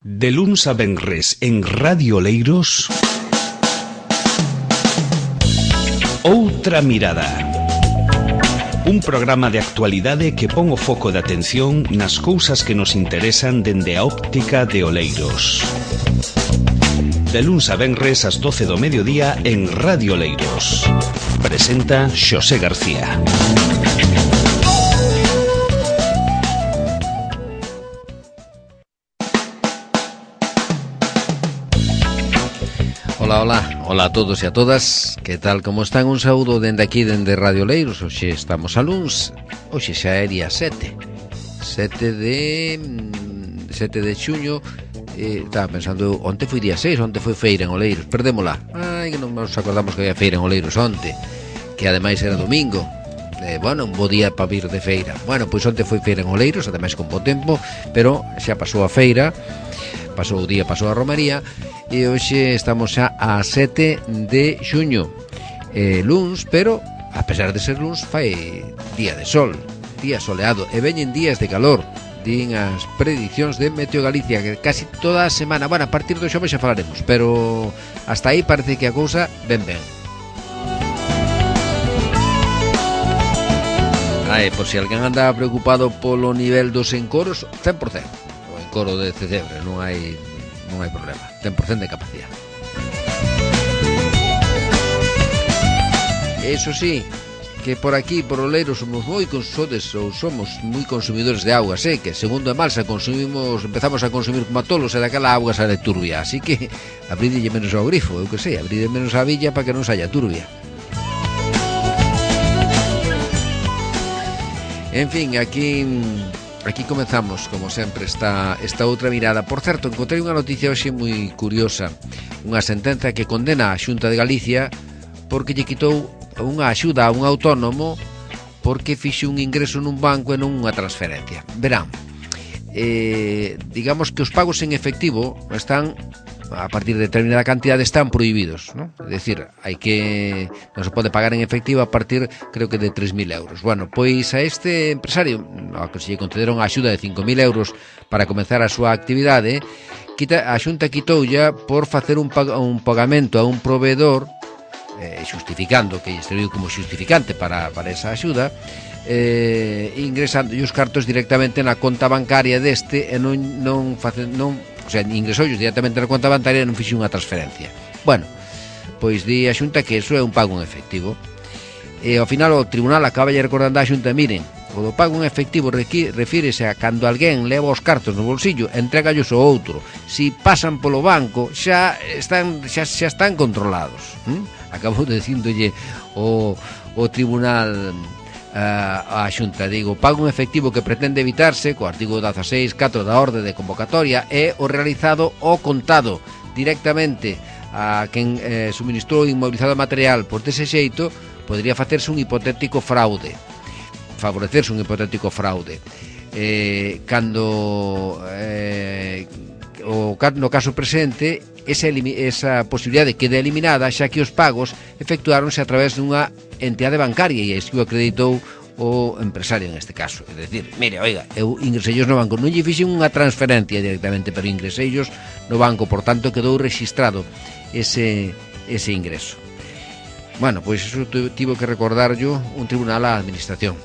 De luns a venres en Radio Oleiros, Outra Mirada. Un programa de actualidade que pon o foco de atención nas cousas que nos interesan dende a óptica de Oleiros. De luns a venres ás 12 do mediodía en Radio Oleiros. Presenta Xosé García. Hola a todos e a todas. Que tal, como están? Un saúdo dende aquí, dende Radio Oleiros. Hoxe estamos a luns. Hoxe xa é día 7 de xuño. Estaba pensando, onte foi día 6, onte foi feira en Oleiros. Perdémola. Ai, que non nos acordamos que había feira en Oleiros onte, que ademais era domingo. Un bo día para vir de feira. Pois onte foi feira en Oleiros, ademais con bo tempo, pero xa pasou a feira, pasou o día, pasou a romaría. E hoxe estamos xa a 7 de xuño, luns, pero a pesar de ser luns fai día de sol, día soleado, e veñen días de calor. Din as predicións de Meteo Galicia que casi toda a semana, a partir do xoves xa falaremos, pero hasta aí parece que a cousa ben. Por si alguén anda preocupado polo nivel dos encoros, 100%. O encoro de Cedebre non hai problema, 100% de capacidade. Eso sí, que por aquí, por Oleiros, somos moi consumidores de auga, que segundo a Malsa empezamos a consumir como a tolos, e daquela auga sale turbia, así que abrídelle menos ao grifo, eu que sei, abrídelle menos a villa para que non saia turbia. En fin, aquí comezamos, como sempre, esta outra mirada. Por certo, encontrei unha noticia hoxe moi curiosa. Unha sentenza que condena a Xunta de Galicia porque lle quitou unha axuda a un autónomo porque fixe un ingreso nun banco e non unha transferencia. Verán, digamos que os pagos en efectivo están, a partir de determinada cantidade, están prohibidos, ¿no? É dicir, non se pode pagar en efectivo a partir, creo que de 3.000 euros. Pois a este empresario, ao que se lle concederon a axuda de 5.000 euros para comenzar a súa actividade, a Xunta quitoulla por facer un pagamento a un proveedor, xustificando que lle serviu como xustificante para esa axuda, ingresando os cartos directamente na conta bancaria deste e ingresou directamente na conta bancaria e non fixe unha transferencia. Pois di a Xunta que iso é un pago en efectivo. E ao final o tribunal acaba recordando a Xunta, miren, o do pago en efectivo refírese a cando alguén leva os cartos no bolsillo, entrégallos ao outro. Si pasan polo banco, xa están controlados. Acabou dicíndolle o tribunal a Xunta, pago en efectivo que pretende evitarse co artigo 16.4 da orde de convocatoria é o realizado ao contado directamente a quen suministrou o inmobilizado material. Por dese xeito podría favorecerse un hipotético fraude. No caso presente, esa posibilidade queda eliminada, xa que os pagos efectuáronse a través dunha entidade bancaria e así o acreditou o empresario en este caso. É dicir, mire, oiga, eu ingresellos no banco, non lle fixen unha transferencia directamente, pero ingresellos no banco, por tanto quedou rexistrado ese ingreso. Pois iso tivo que recordarllo un tribunal á administración.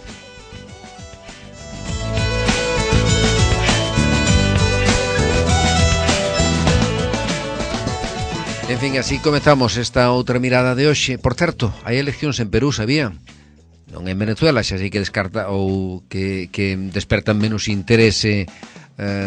En fin, así comezamos esta outra mirada de hoxe. Por certo, hai eleccións en Perú, sabían? Non en Venezuela, xa sei que descarta ou que despertan menos interese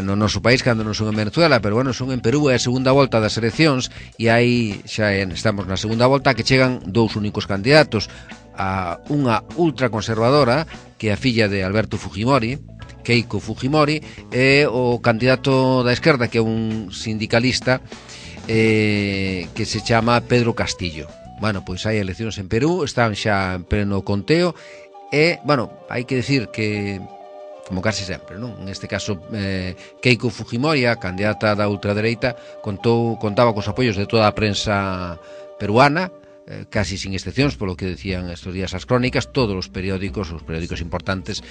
no noso país cando non son en Venezuela, pero son en Perú, é a segunda volta das eleccións e aí xa estamos na segunda volta, que chegan dous únicos candidatos, a unha ultraconservadora, que é a filla de Alberto Fujimori, Keiko Fujimori, e o candidato da esquerda, que é un sindicalista que se chama Pedro Castillo. Pois hai eleccións en Perú, están xa en pleno conteo e, hai que decir que, como case sempre, non? En este caso, Keiko Fujimori, a candidata da ultradereita, contaba cos apoios de toda a prensa peruana, casi sin excepcións, polo que decían estos días as crónicas, todos os periódicos importantes,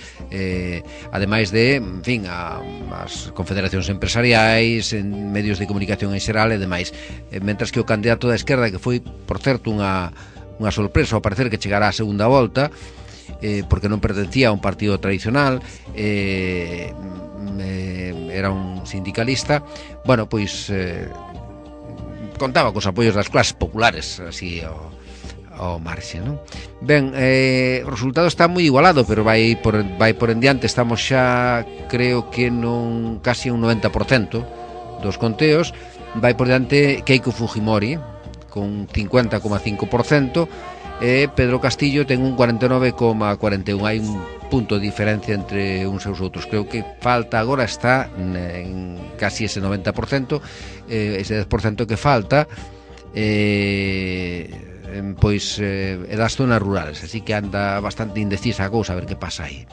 ademais de, en fin, as confederacións empresariais, en medios de comunicación en xeral e demais, mentras que o candidato da esquerda, que foi, por certo, unha sorpresa ao parecer que chegará a segunda volta, porque non pertencía a un partido tradicional, era un sindicalista, bueno, pois contaba cos apoios das clases populares, así ao marxe, non? Ben, o resultado está moi igualado, pero vai por en diante. Estamos xa, creo que casi un 90% dos conteos. Vai por diante Keiko Fujimori con 50,5%, e Pedro Castillo ten un 49,41%. Hai un punto de diferencia entre uns e os outros. Creo que falta agora, está en casi ese 90%, ese 10% que falta pois é das zonas rurales, así que anda bastante indecisa a cousa, a ver que pasa aí.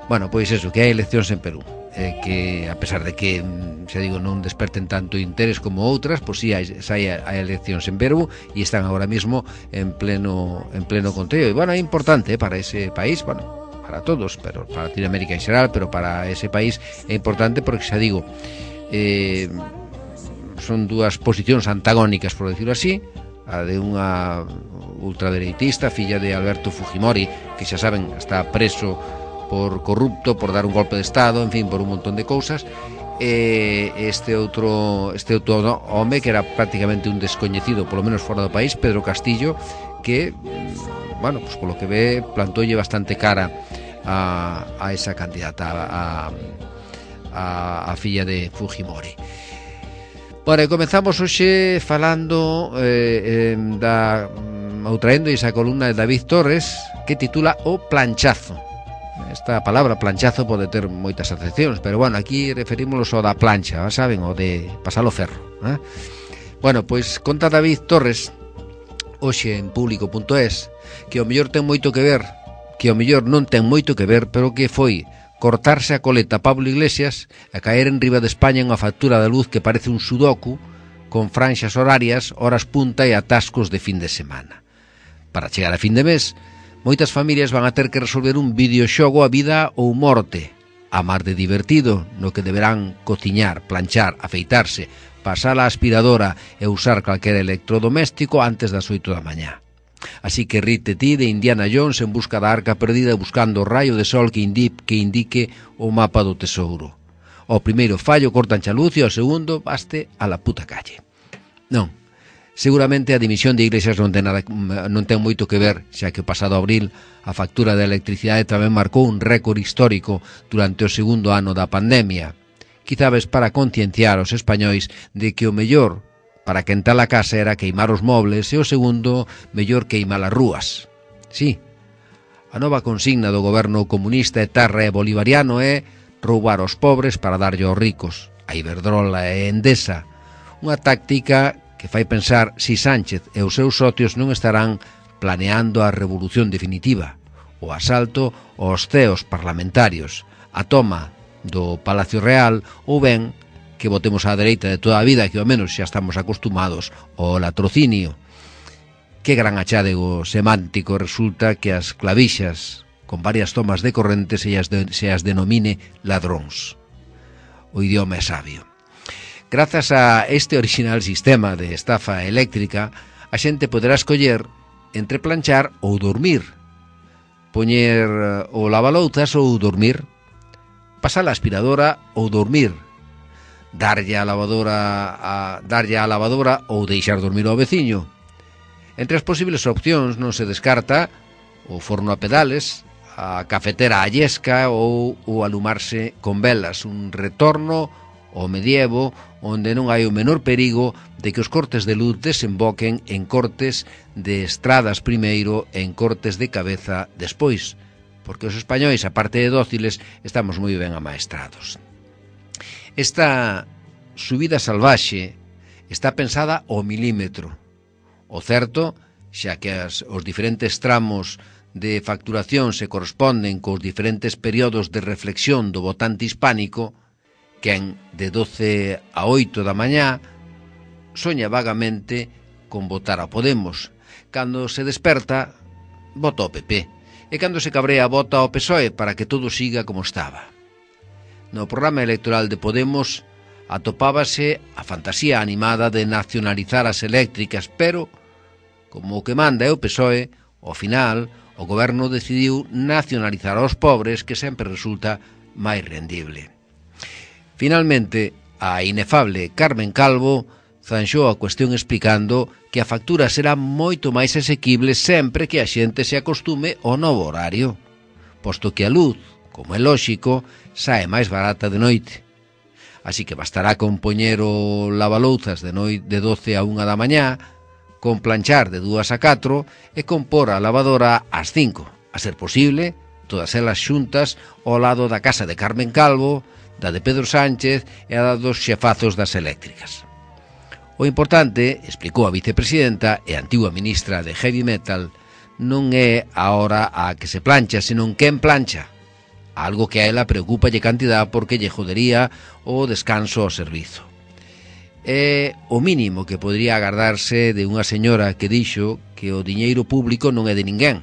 Bueno, pois eso, que hai eleccións en Perú, que a pesar de que, xa digo, non desperten tanto interés como outras, pois sí, hai eleccións en Perú e están agora mismo en pleno conteo. E bueno, é importante para ese país, bueno, para todos, pero para Latinoamérica en xeral, pero para ese país é importante porque, xa digo, son dúas posicións antagónicas, por decirlo así, a de unha ultradereitista, filla de Alberto Fujimori, que xa saben, está preso por corrupto, por dar un golpe de Estado, en fin, por un montón de cousas, este outro home que era prácticamente un descoñecido, polo menos fora do país, Pedro Castillo, que, bueno, pues polo que ve, plantoulle bastante cara a esa candidata, a filla de Fujimori. Bueno, comenzamos hoxe falando traendo esa columna de David Torres que titula O Planchazo. Esta palabra planchazo pode ter moitas acepcións, pero bueno, aquí referímonos ao da plancha, saben, o de pasar o ferro, Bueno, pois conta David Torres hoxe en público.es que o mellor ten moito que ver, que o mellor non ten moito que ver, pero que foi cortarse a coleta Pablo Iglesias e caer en riba de España unha factura de luz que parece un sudoku, con franxas horarias, horas punta e atascos de fin de semana. Para chegar a fin de mes, moitas familias van a ter que resolver un videoxogo a vida ou morte, a mar de divertido, no que deberán cociñar, planchar, afeitarse, pasar a aspiradora e usar calquera electrodoméstico antes das 8 da mañá. Así que rite ti de Indiana Jones en busca da arca perdida, buscando o raio de sol que indique o mapa do tesouro. O primeiro fallo cortan xa luz e o segundo baste a la puta calle. Non, seguramente a dimisión de Iglesias non ten moito que ver, xa que o pasado abril a factura de electricidade tamén marcou un récord histórico durante o segundo ano da pandemia. Quizabes para concienciar aos españois de que o mellor para quentar a casa era queimar os mobles e o segundo, mellor queimar as rúas. Sí, a nova consigna do goberno comunista, etarra e bolivariano é roubar aos pobres para darlle aos ricos, a Iberdrola e Endesa, unha táctica que fai pensar si Sánchez e os seus socios non estarán planeando a revolución definitiva, o asalto aos ceos parlamentarios, a toma do Palacio Real ou ben que votemos á dereita de toda a vida, que ao menos xa estamos acostumados ao latrocinio. Que gran achádego semántico resulta que as clavixas con varias tomas de corrente se as denomine ladróns. O idioma é sabio. Grazas a este original sistema de estafa eléctrica, a xente poderá escoller entre planchar ou dormir, poñer o lavalouzas ou dormir, pasar a aspiradora ou dormir, darlle a lavadora ou deixar dormir ao veciño. Entre as posibles opcións non se descarta o forno a pedales, a cafetera a llesca ou o alumarse con velas, un retorno ao medievo onde non hai o menor perigo de que os cortes de luz desemboquen en cortes de estradas primeiro e en cortes de cabeza despois, porque os españois, aparte de dóciles, estamos moi ben amaestrados. Esta subida salvaxe está pensada ao milímetro. O certo, xa que os diferentes tramos de facturación se corresponden cos diferentes períodos de reflexión do votante hispánico, quen de 12 a 8 da mañá soña vagamente con votar a Podemos, Cando se desperta, vota o PP. E cando se cabrea, vota o PSOE para que todo siga como estaba. No programa electoral de Podemos atopábase a fantasía animada de nacionalizar as eléctricas, pero, como o que manda é o PSOE, ao final, o goberno decidiu nacionalizar aos pobres, que sempre resulta máis rendible. Finalmente, a inefable Carmen Calvo zanxou a cuestión explicando que a factura será moito máis asequible sempre que a xente se acostume ao novo horario, posto que a luz, como é lóxico, sae máis barata de noite. Así que bastará con poñer o lavalouzas de noite de 12 a 1 da mañá, con planchar de 2 a 4 e con pôr a lavadora ás 5, a ser posible, todas elas xuntas ao lado da casa de Carmen Calvo, da de Pedro Sánchez e a dos xefazos das eléctricas. O importante, explicou a vicepresidenta e antigua ministra de Heavy Metal, non é a hora a que se plancha, senón quen plancha. Algo que a ela preocupa lle cantidad porque lle jodería o descanso ao servizo. É o mínimo que podría agardarse de unha señora que dixo que o diñeiro público non é de ninguén.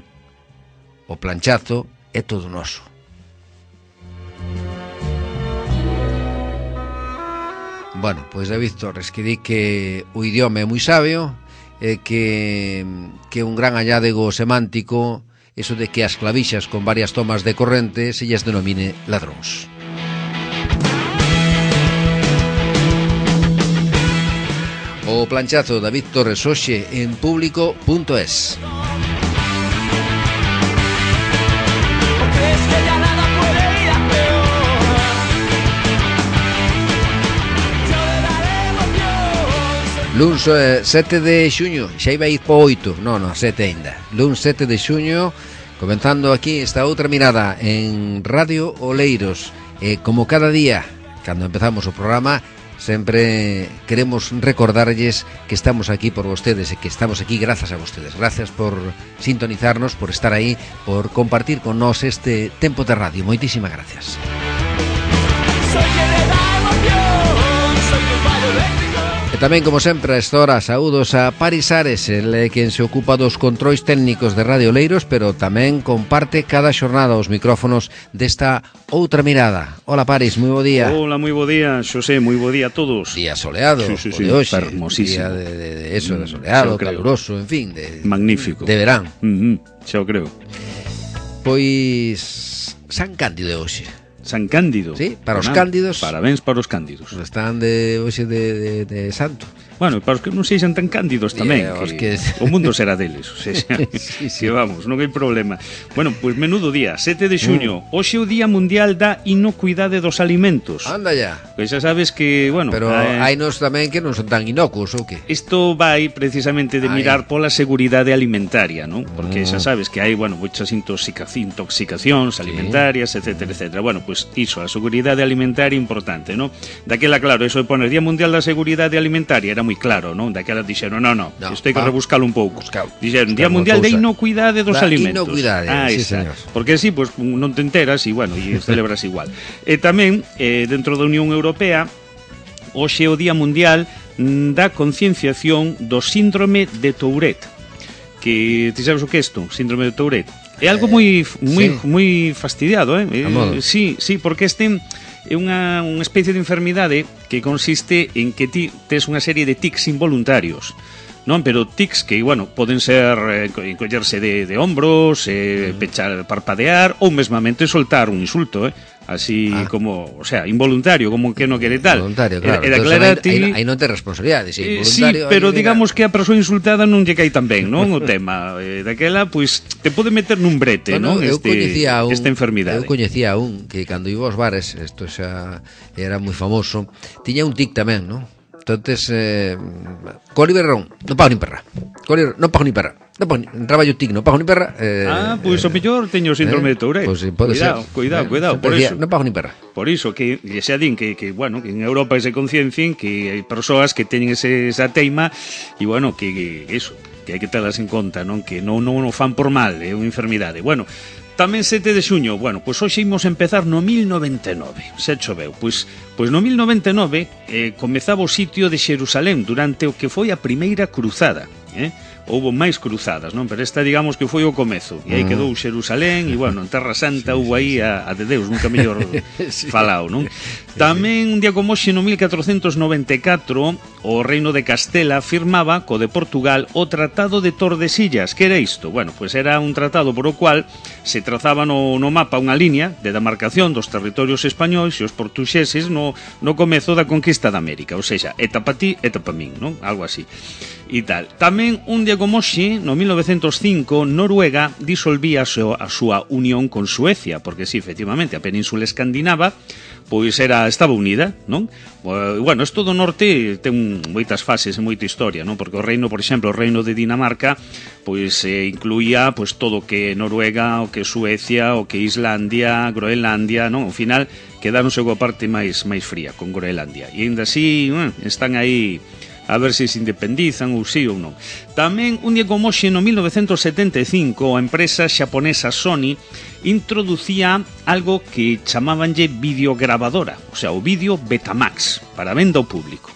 O planchazo é todo noso. Bueno, pois David Torres, que di que o idioma é moi sabio e que un gran halládego semántico eso de que as clavixas con varias tomas de corrente se lles denomine ladróns. O planchazo David Torres hoxe en público.es. Luns 7 de xuño, xa iba a ir po 8, non, 7 ainda. Luns 7 de xuño, comenzando aquí esta outra mirada en Radio Oleiros. Como cada día, cando empezamos o programa, sempre queremos recordarlles que estamos aquí por vostedes e que estamos aquí grazas a vostedes. Gracias por sintonizarnos, por estar aí, por compartir con nós este tempo de radio. Moitísimas gracias. E tamén, como sempre, a esta hora, saúdos a Paris Ares, el é quen se ocupa dos controis técnicos de Radio Oleiros, pero tamén comparte cada xornada os micrófonos desta outra mirada. Hola, Paris, moi bo día. Hola, moi bo día, Xosé, moi bo día a todos. Día soleado, sí, de hoxe. Hermosísimo. Día de eso, de soleado, caluroso, en fin. Magnífico. De verán. Xa o creo. Pois San Cándido de hoxe. San Cándido. Sí, para os cándidos. Parabéns para os cándidos. Están de hoxe de santo. Bueno, para os que non sexan tan cándidos tamén, que o mundo será deles, o sea, sí. Que vamos, non hai problema. Bueno, pois menudo día, 7 de xuño, hoxe é o Día Mundial da Inocuidade dos Alimentos. Anda ya. Pois xa sabes que, bueno... Pero hai nos tamén que non son tan inocuos, ou que? Isto vai precisamente de mirar pola seguridade alimentaria, non? Porque xa sabes que hai, bueno, moitas intoxicacións alimentarias, etcétera, etcétera. Bueno, pois iso, a seguridade alimentaria importante, non? Daquela, claro, eso de poner Día Mundial da Seguridade Alimentaria era moi claro, non? Daquela dixeron, non, isto hai que rebuscalo un pouco. Dixeron, Día Mundial de Inocuidade dos Alimentos. Inocuidade, sí, señor. Porque así, pues, non te enteras e, bueno, e celebras igual. E tamén, dentro da Unión Europea, hoxe é o Día Mundial da concienciación do síndrome de Tourette. Que, ti sabes o que é isto? Síndrome de Tourette. É algo moi fastidiado, Sí, porque este é unha especie de enfermidade que consiste en que ti tes unha serie de tics involuntarios, non? Pero tics que, bueno, poden ser encollerse de hombros, pechar, parpadear ou mesmamente soltar un insulto, así como, o sea, involuntario, como que non quere tal. Involuntario, claro. Aí non te responsabilidade, si involuntario. Sí, pero digamos que a persoa insultada non lle cae tan ben, non? O tema daquela, pois, te pode meter nun brete, non? Esta enfermidade. Eu coñecía un que cando iba aos bares, isto xa era moi famoso, tiña un tic tamén, non? Entonces, Coliberrón, non pago nin perra. Coliberrón, non pago nin perra. Entraba yo tic, non pago nin perra. Pois o mellor teño síndrome de Tourette. Pues, cuidado, por iso. Non pago nin perra. Por iso, que xa din que bueno, que en Europa se conciencien que hai persoas que teñen esa teima e, bueno, que iso, que hai que telas en conta, non? Que non o fan por mal, é unha enfermidade. Bueno, tamén 7 de xuño, bueno, pois hoxe imos empezar no 1099, xa choveu. Pois no 1099 comezaba o sitio de Xerusalén durante o que foi a primeira cruzada, houbo máis cruzadas, non? Pero esta, digamos, que foi o comezo. E aí quedou Xerusalén, e, bueno, en Terra Santa houbo aí a de Deus, nunca mellor falao, non? Tamén, un día como hoxe, no 1494, o Reino de Castela firmaba co de Portugal o Tratado de Tordesillas. Que era isto? Bueno, pois era un tratado por o cual se trazaba no mapa unha línea de demarcación dos territorios españois e os portuxeses no comezo da conquista da América. Ou seja, eta pa ti, eta pa min, non? Algo así. E tal. Tamén, un día como hoxe, no 1905, Noruega disolvía a súa unión con Suecia, porque, sí, efectivamente, a península escandinava pois estaba unida, non? Bueno, isto do norte ten moitas fases e moita historia, non? Porque o reino, por exemplo, o reino de Dinamarca, pois incluía pois todo o que Noruega, o que Suecia, o que Islandia, Groenlandia, non? Ao final quedáronse coa parte máis fría con Groenlandia. E ainda así, están aí a ver se se independizan ou sí ou non. Tamén, un día como hoxe, no 1975, a empresa xaponesa Sony introducía algo que chamabanlle videograbadora, o sea, o vídeo Betamax, para venda ao público.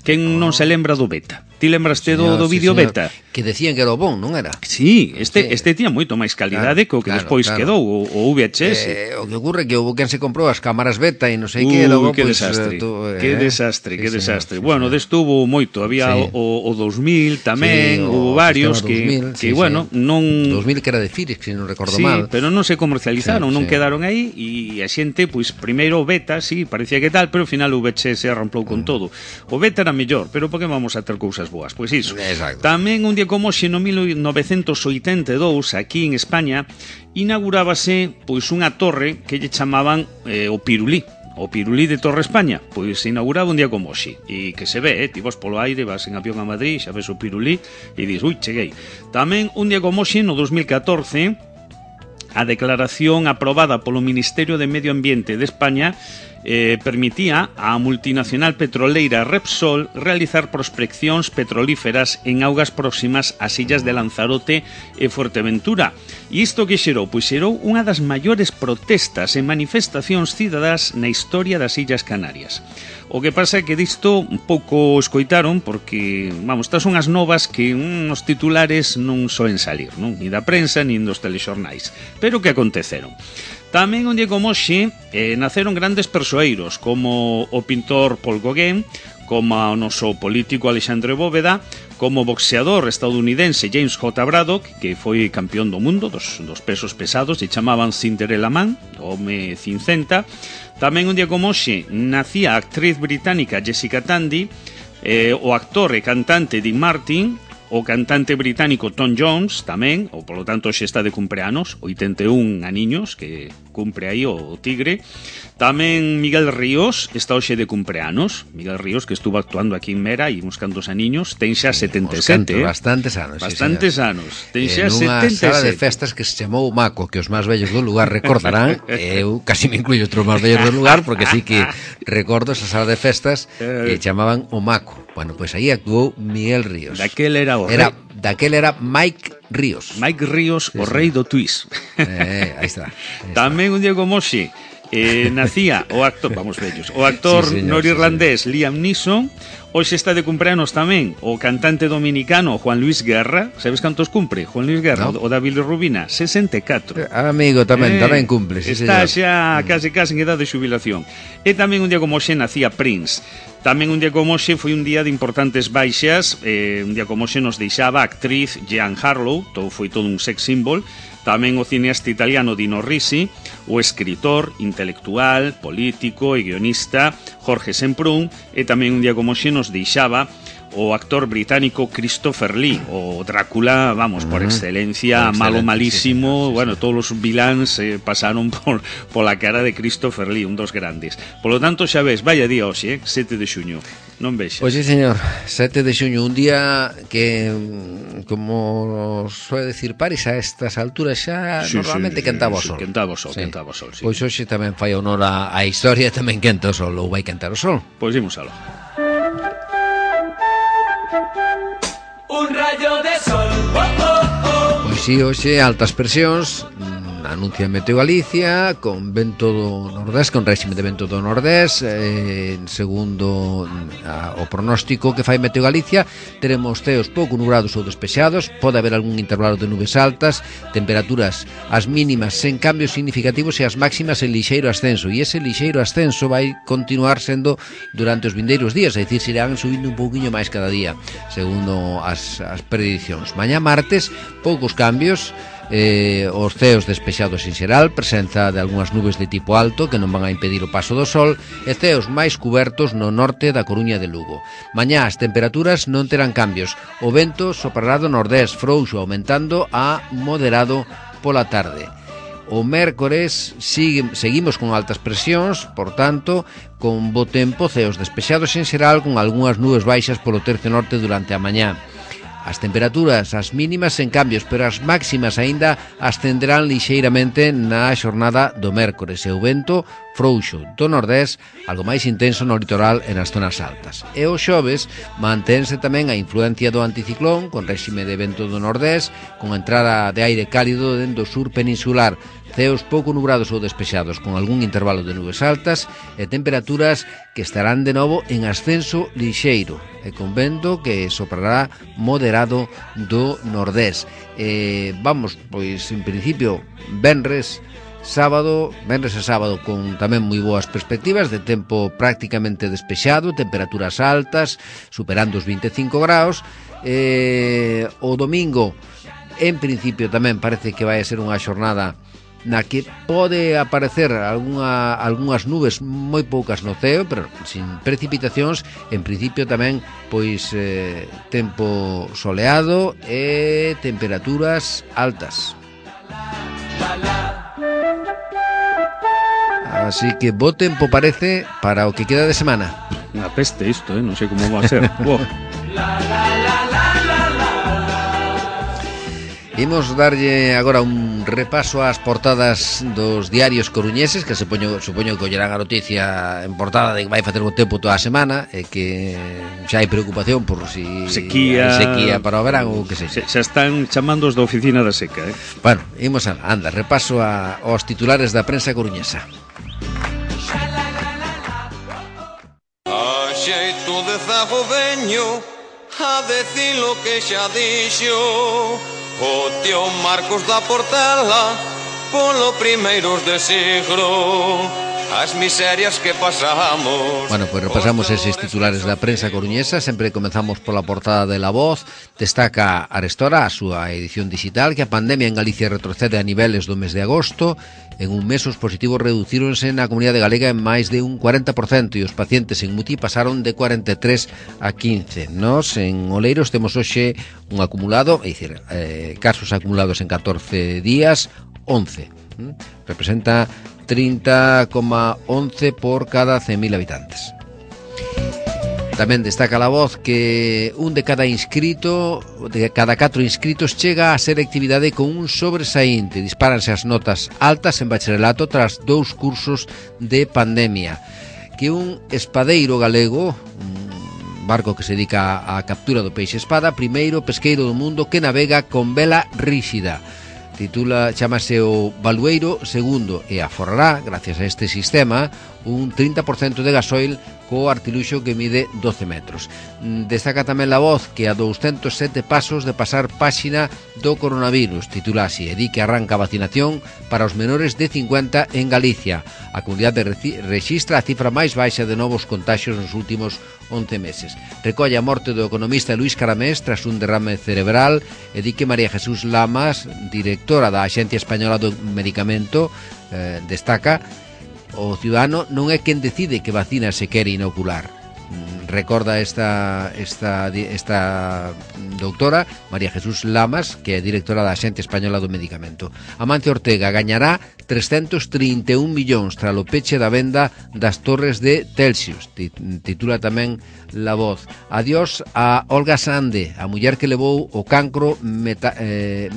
Quen non se lembra do Beta? Ti lembraste do vídeo Beta? Que decían que era o bon, non era? Sí, este tiña moito máis calidade que o que despois quedou o VHS. O que ocurre que houve quen se comprou as cámaras Beta e non sei que, logo que desastre. Que desastre. Bueno, desto hubo moito, había o 2000 tamén, houve varios que bueno, non 2000 que era de Philips, se non recordo Sí, mal. pero non se comercializaron, non quedaron aí e a xente, pois primeiro o Beta, sí, parecía que tal, pero ao final o VHS arramplou con todo. O Beta era mellor, pero por que vamos a ter cousas boas? Pois iso. Exacto. Tamén un día como hoxe, no 1982, aquí en España, inaugurábase pois unha torre que lle chamaban o Pirulí. O Pirulí de Torre España, pois se inauguraba un día como hoxe. E que se ve, ti vas polo aire, vas en avión a Madrid, xa ves o Pirulí e dis, ui, cheguei. Tamén un día como hoxe, no 2014, a declaración aprobada polo Ministerio de Medio Ambiente de España permitía á multinacional petroleira Repsol realizar prospeccións petrolíferas en augas próximas ás illas de Lanzarote e Fuerteventura. E isto que xerou? Pois xerou unha das maiores protestas e manifestacións cidadás na historia das Illas Canarias. O que pasa é que disto un pouco escoitaron porque, vamos, estas son as novas que os titulares non soen salir, non? Ni da prensa, ni dos telexornais. Pero que aconteceron? Tamén un día como hoxe naceron grandes persoeiros como o pintor Paul Gauguin, como o noso político Alexandre Bóveda, como o boxeador estadounidense James J. Braddock, que foi campeón do mundo dos pesos pesados e chamaban Cinderella Man, home cincenta. Tamén un día como hoxe nacía a actriz británica Jessica Tandy, o actor e cantante Dean Martin, o cantante británico Tom Jones tamén, ou polo tanto xe está de cumpleanos, 81 aniños que cumpre aí o tigre. Tamén Miguel Ríos está hoxe de cumpleanos. Miguel Ríos, que estuvo actuando aquí en Mera e uns cantos aniños, ten xa 77, bastantes anos. Bastantes anos. Ten xa 77. Nunha sala de festas que se chamou Maco, que os máis vellos do lugar recordarán. Eu casi me incluyo outros máis vellos do lugar, porque sí que recordo esa sala de festas que chamaban o Maco. Bueno, pois aí actuou Miguel Ríos. Daquel era o Daquel era Mike Ríos. Mike Ríos, o rei do twist. Aí está. Tamén un día como hoxe nacía o actor, vamos vellos, o actor norirlandés Liam Neeson. Hoxe está de cumpleanos tamén o cantante dominicano Juan Luis Guerra. Sabes cantos cumpre? Juan Luis Guerra, o da Bilirrubina, 64. Amigo, tamén cumple, sí, está señor. Xa case en edad de xubilación. E tamén un día como hoxe nacía Prince. Tamén un día como hoxe foi un día de importantes baixas. Un día como hoxe nos deixaba a actriz Jean Harlow, foi todo un sex symbol. Tamén o cineasta italiano Dino Risi, o escritor, intelectual, político e guionista Jorge Semprún, e tamén un día como hoxe nos deixaba o actor británico Christopher Lee, o Drácula, vamos, por excelencia, malo malísimo, bueno, todos os viláns pasaron pola cara de Christopher Lee, un dos grandes. Polo tanto, xa ves, vaya día hoxe, 7 de xuño. Non vexas. Pois sí, señor, 7 de xuño, un día que, como soe decir Paris, a estas alturas xa normalmente quentaba o sol. Quentaba o sol, sí. Pois hoxe tamén fai honor a historia, tamén quenta o sol, ou vai quentar o sol. Pois imos aló. Un rayo de sol, oh, oh, oh. Pois sí, hoxe altas presións anuncia Meteo Galicia, con vento do nordés, con réxime de vento do nordés, segundo o pronóstico que fai Meteo Galicia, teremos ceos pouco nubrados ou despexados, pode haber algún intervalo de nubes altas, temperaturas as mínimas sen cambios significativos e as máximas en lixeiro ascenso, e ese lixeiro ascenso vai continuar sendo durante os vindeiros días, é dicir, se irán subindo un pouquiño máis cada día, segundo as predicións. Mañá martes, poucos cambios, os ceos despexados en xeral, presenza de algunhas nubes de tipo alto que non van a impedir o paso do sol, e ceos máis cubertos no norte da Coruña de Lugo. Mañá as temperaturas non terán cambios, o vento soprará do nordés frouxo, aumentando a moderado pola tarde. O mércores seguimos con altas presións, por tanto, con bo tempo, ceos despexados en xeral, con algunhas nubes baixas polo tercio norte durante a mañá. As temperaturas, as mínimas sen cambios, pero as máximas aínda ascenderán lixeiramente na xornada do mércores, e o vento frouxo do nordés, algo máis intenso no litoral e nas zonas altas. E o xoves mantense tamén a influencia do anticiclón, con réxime de vento do nordés, con entrada de aire cálido dentro do sur peninsular, ceos pouco nubrados ou despexados, con algún intervalo de nubes altas e temperaturas que estarán de novo en ascenso lixeiro e con vento que soprará moderado do nordés. Vamos, pois, en principio, venres e sábado con tamén moi boas perspectivas de tempo prácticamente despexado, temperaturas altas, superando os 25 graus. O domingo, en principio, tamén parece que vai a ser unha xornada na que pode aparecer algunhas nubes moi poucas no ceo, pero sin precipitacións. En principio tamén, pois, tempo soleado e temperaturas altas. Así que bo tempo parece para o que queda de semana. Unha peste isto, non sei como va a ser. Imos darlle agora un repaso ás portadas dos diarios coruñeses, que supoño que ollerán a noticia en portada de que vai facer bo tempo toda a semana e que xa hai preocupación por si sequía para o verán ou que sei. Xa están chamando os da oficina da seca, Bueno, imos repaso aos titulares da prensa coruñesa. A xeito de zago veño a decir lo que xa dixo o tío Marcos da Portela polo primeiros de siglo, as miserias que pasamos. Bueno, pues repasamos eses titulares da prensa coruñesa. Sempre comenzamos pola portada de La Voz. Destaca Arestora a súa edición digital que a pandemia en Galicia retrocede a niveles do mes de agosto. En un mes os positivos reducíronse na comunidade galega en máis de un 40% e os pacientes en MUTI pasaron de 43 a 15. Nos en Oleiros temos hoxe un acumulado, é dicir, casos acumulados en 14 días, 11. Representa 30,11 por cada 100.000 habitantes. Tamén destaca La Voz que un de cada 4 inscritos chega a selectividade con un sobresaínte. Dispáranse as notas altas en bacharelato tras 2 cursos de pandemia. Que un espadeiro galego, un barco que se dedica á captura do peixe espada, primeiro pesqueiro do mundo que navega con vela ríxida. Chámase o Balueiro II e aforrará, gracias a este sistema, un 30% de gasoil co artiluxo que mide 12 metros. Destaca tamén La Voz que a 207 pasos de pasar páxina do coronavirus, titula así, e di que arranca a vacinación para os menores de 50 en Galicia. A comunidade rexistra a cifra máis baixa de novos contaxios nos últimos 11 meses. Recolle a morte do economista Luis Caramés tras un derrame cerebral e di que María Jesús Lamas, directora da Axencia Española do Medicamento, destaca: o ciudadano non é quen decide que vacina se quere inocular. Recorda esta doutora María Jesús Lamas, que é directora da Axencia Española do Medicamento. Amancio Ortega gañará 331 millóns tras o peche da venda das torres de Telxius, titula tamén La Voz. Adiós a Olga Sande, a muller que levou o cancro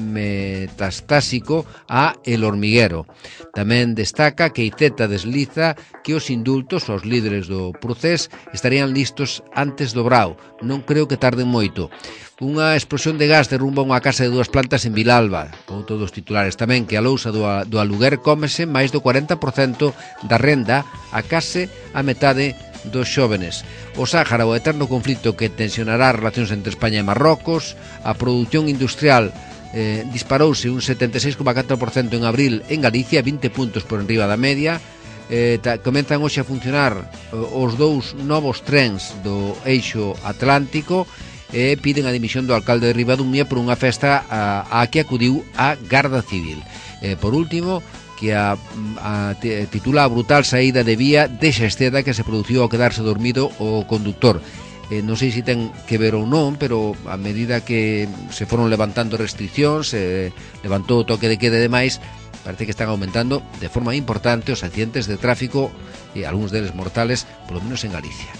metastásico a El Hormiguero. Tamén destaca que Iceta desliza que os indultos aos líderes do procés estarían estarían listos antes do brao. Non creo que tarden moito. Unha explosión de gas derrumba unha casa de 2 plantas en Vilalba. Outro dos titulares tamén, que a lousa do aluguer cómese máis do 40% da renda a case a metade dos xóvenes. O Sáhara, o eterno conflito que tensionará as relacións entre España e Marrocos. A produción industrial disparouse un 76,4% en abril en Galicia, 20 puntos por enriba da media. Comenzan hoxe a funcionar os 2 novos trens do eixo Atlántico e piden a dimisión do alcalde de Ribadumia por unha festa a que acudiu a Garda Civil. Por último, que titula a brutal saída de vía de Xesteda que se produciu ao quedarse dormido o conductor. Non sei se ten que ver ou non, pero a medida que se foron levantando restriccións, levantou o toque de queda e demais, parece que están aumentando de forma importante os accidentes de tráfico e algúns deles mortales, polo menos en Galicia.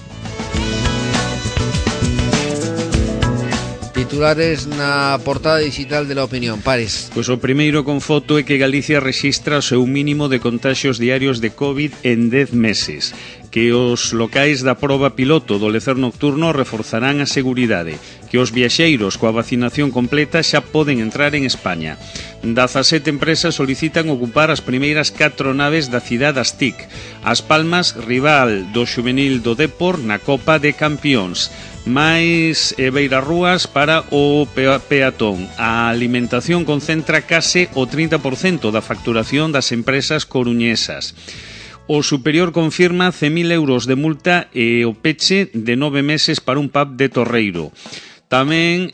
Titulares na portada digital de La Opinión, Pares. Pois o primeiro con foto é que Galicia rexistra o seu mínimo de contaxios diarios de COVID en 10 meses, que os locais da proba piloto do lecer nocturno reforzarán a seguridade, que os viaxeiros coa vacinación completa xa poden entrar en España. 17 empresas solicitan ocupar as primeiras 4 naves da cidade das TIC. As Palmas, rival do xuvenil do Depor na Copa de Campións. Máis beirarrúas para o peatón. A alimentación concentra case o 30% da facturación das empresas coruñesas. O superior confirma 100.000 euros de multa e o peche de 9 meses para un pub de Torreiro. Tamén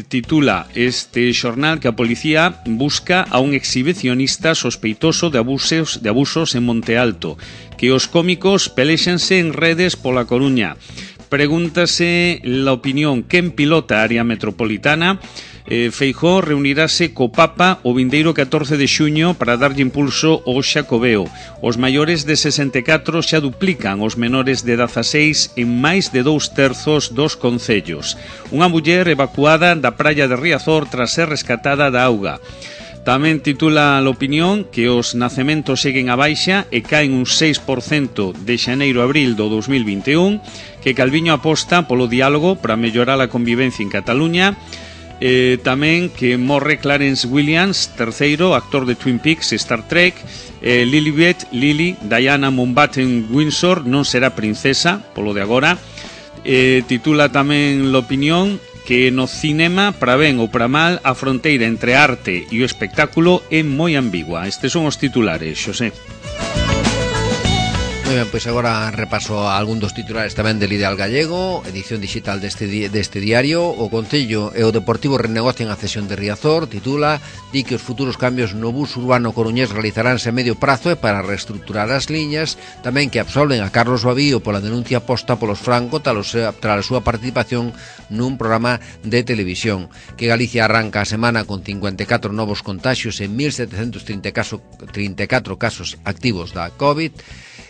titula este xornal que a policía busca a un exhibicionista sospeitoso de abusos en Monte Alto, que os cómicos pelexanse en redes pola Coruña. Pregúntase La Opinión quen pilota a área metropolitana. Feijóo reunirase co Papa o vindeiro 14 de xuño para darlle impulso ao Xacobeo. Os maiores de 64 xa duplican os menores de 16 en máis de 2/3 dos concellos. Unha muller evacuada da praia de Riazor tras ser rescatada da auga. Tamén titula La Opinión que os nacementos seguen a baixa e caen un 6% de xaneiro a abril do 2021, que Calviño aposta polo diálogo para mellorar a convivencia en Cataluña. Tamén que morre Clarence Williams, terceiro, actor de Twin Peaks e Star Trek. Lily, Diana Mountbatten Windsor non será princesa, polo de agora. Titula tamén La Opinión que no cinema, para ben ou para mal, a fronteira entre arte e o espectáculo é moi ambigua. Estes son os titulares, Xosé. Moi ben, pois agora repaso a algún dos titulares tamén del Ideal Gallego, edición digital deste diario. O Concello e o Deportivo renegocian a cesión de Riazor, titula, di que os futuros cambios no bus urbano coruñés realizaránse a medio prazo e para reestructurar as liñas, tamén que absolven a Carlos Babío pola denuncia posta polos Franco tras a súa participación nun programa de televisión, que Galicia arranca a semana con 54 novos contaxios e 1.734 casos activos da COVID.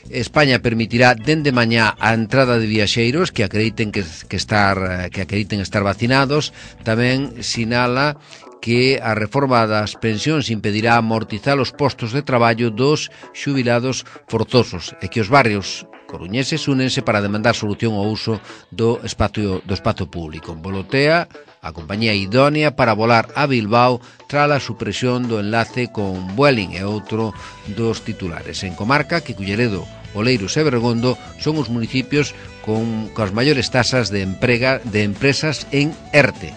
España permitirá dende mañá a entrada de viaxeiros que acrediten estar vacinados. Tamén sinala que a reforma das pensións impedirá amortizar os postos de traballo dos xubilados forzosos e que os barrios coruñeses únense para demandar solución ao uso do espacio público. Volotea a compañía idónea para volar a Bilbao tras a supresión do enlace con Vueling e outro dos titulares. En comarca que Culleredo, Oleiros e Bergondo son os municipios con as maiores tasas de empresas en ERTE.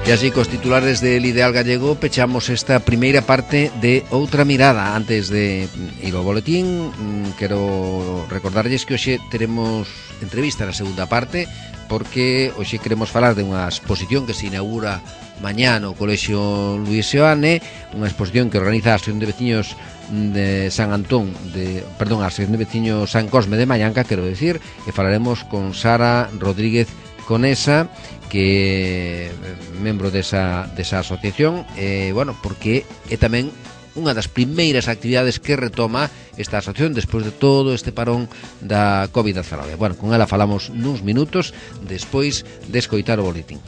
E así, cos titulares del Ideal Gallego, pechamos esta primeira parte de Outra Mirada. Antes de ir ao boletín, quero recordarlles que hoxe teremos entrevista na segunda parte, porque hoxe queremos falar de unha exposición que se inaugura mañá no Colexio Luís Seoane, unha exposición que organiza a Asociación de Veciños de San Antón, a Asociación de Veciños San Cosme de Mallanca, quero decir, e falaremos con Sara Rodríguez Conesa, que é membro desa asociación, porque é tamén unha das primeiras actividades que retoma esta asociación despois de todo este parón da COVID-19. Con ela falamos nuns minutos despois de escoitar o boletín.